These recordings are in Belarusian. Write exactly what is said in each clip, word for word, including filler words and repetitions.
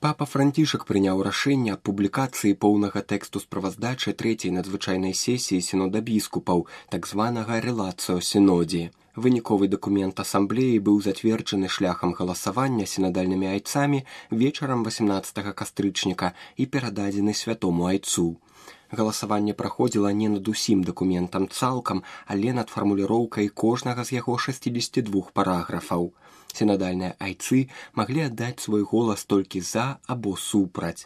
Папа Францішак прыняў рашэнне аб публікацыі поўнага тэксту справаздачы трэцяй надзвычайнай сесіі сінода біскупаў, так званага рэлацыо сінодзе. Выніковы дакумент асамблеі быў зацверджаны шляхам галасавання сінадальнымі айцамі вечарам васемнаццатага кастрычніка і перададзены святому айцу. Галасаванне праходзіла не над усім дакументам цалкам, але над фармуліроўкай кожнага з яго шасцідзесяці двух параграфаў. Сінадальныя айцы маглі аддаць свой голас толькі за або супраць.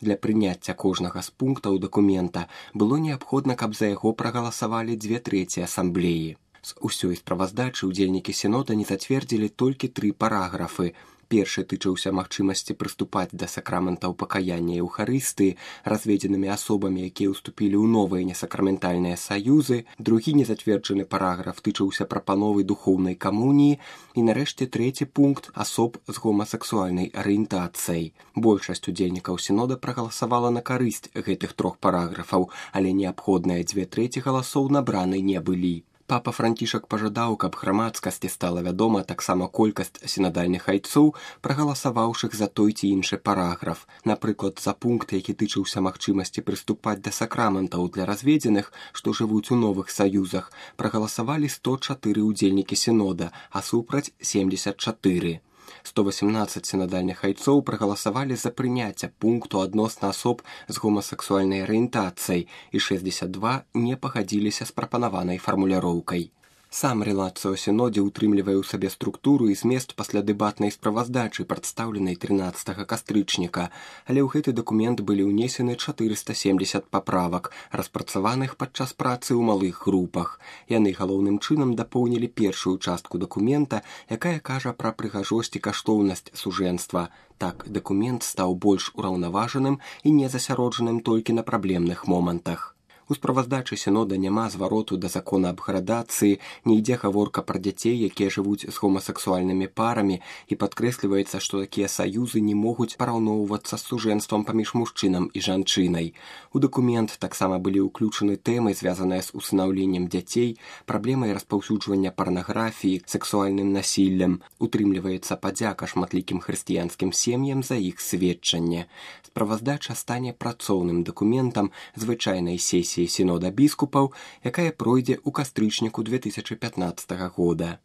Для прыняцця кожнага з пунктаў дакумента было неабходна, каб за яго прагаласавалі дзве трэці асамблеі. З усёй справаздачы ўдзельнікі сінода не зацвердзілі толькі тры параграфы. Першы тычыўся магчымасці прыступаць да сакраментаў пакаяння і эўхарыстыі разведзенымі асобамі, якія ўступілі ў новыя несакраментальныя саюзы, другі незацверджаны параграф тычыўся прапановы духоўнай камуніі і, нарэшце, трэці пункт асоб з гомасексуальнай арыентацыяй. Большасць удзельнікаў сінода прагаласавала на карысць гэтых трох параграфаў, але неабходныя дзве трэці галасоў набраны не былі. Папа Францішак пажадаў, каб грамадскасці стала вядома таксама колькасць сінадальных айцоў, прагаласаваўшых за той ці іншы параграф. Напрыклад, за пункт, які тычыўся магчымасці прыступаць да сакраментаў для разведзеных, што жывуць у новых саюзах, прагаласавалі сто чатыры ўдзельнікі сінода, а супраць семдзесят чатыры. сто васемнаццаць сінадальных айцоў прагаласавалі за прыняцце пункту адносна асоб з гомасексуальнай арыентацыяй і шэсцьдзесят два не пагадзіліся з прапанаванай фармуляроўкай. Сам рэлацыо сінодзе ўтрымлівае ў сабе структуру і змест паслядэбатнай справаздачы, прадстаўленай трынаццатага кастрычніка, але ў гэты дакумент былі ўнесены чатырыста семдзесят паправак, распрацаваных падчас працы ў малых групах. Яны галоўным чынам дапоўнілі першую частку дакумента, якая кажа пра прыгажосць і каштоўнасць сужэнства. Так, дакумент стаў больш ураўнаважаным і не засяроджаным толькі на праблемных момантах. У справаздачы сінода няма звароту да закона аб градацыі, не ідзе гаворка пра дзяцей, якія жывуць з гомасексуальнымі парамі, і падкрэсліваецца, што такія саюзы не могуць параўноўвацца з сужэнствам паміж мужчынам і жанчынай. У дакумент таксама былі ўключаны тэмы, звязаныя з усынаўленнем дзяцей, праблемай распаўсюджвання парнаграфіі, сексуальным насіллем. Утрымліваецца падзяка шматлікім хрысціянскім сем'ям за іх сведчанне. Справаздача стане працоўным дакументам звычайнай сесіі сінода біскупаў, якая пройдзе ў кастрычніку две тысячы пятнаццатага года.